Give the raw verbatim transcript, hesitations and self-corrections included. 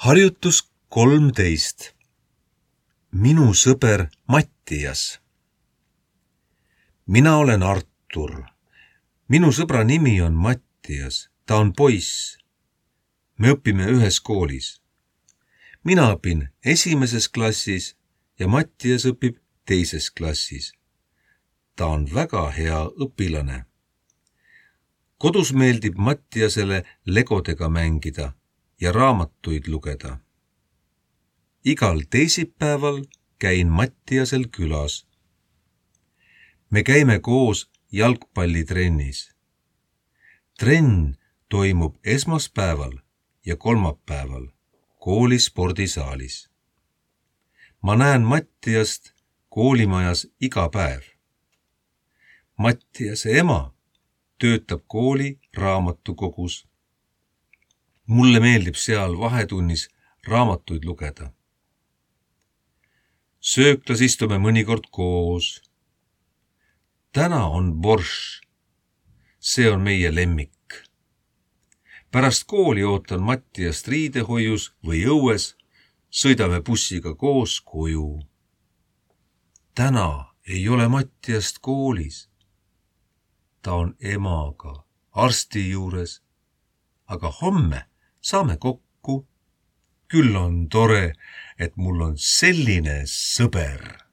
Harjutus kolmteist. Minu sõber Mattias. Mina olen Artur. Minu sõbra nimi on Mattias. Ta on poiss. Me õpime ühes koolis. Mina õpin esimeses klassis ja Mattias õpib teises klassis. Ta on väga hea õpilane. Kodus meeldib Mattiasele legodega mängida ja raamatuid lugeda. Igal teisipäeval käin Mattiasel külas. Me käime koos jalgpallitrennis. Trenn toimub esmaspäeval ja kolmapäeval kooli spordisaalis. Ma näen Mattiast koolimajas iga päev. Mattiase ema töötab kooli raamatukogus. Mulle meeldib seal vahetunnis raamatuid lugeda. Sööklas istume mõnikord koos. Täna on borš. See on meie lemmik. Pärast kooli ootan Mattiast riidehoius või õues. Sõidame bussiga koos koju. Täna ei ole Mattiast koolis. Ta on emaga arsti juures. Aga homme saame kokku. Küll on tore, et mul on selline sõber.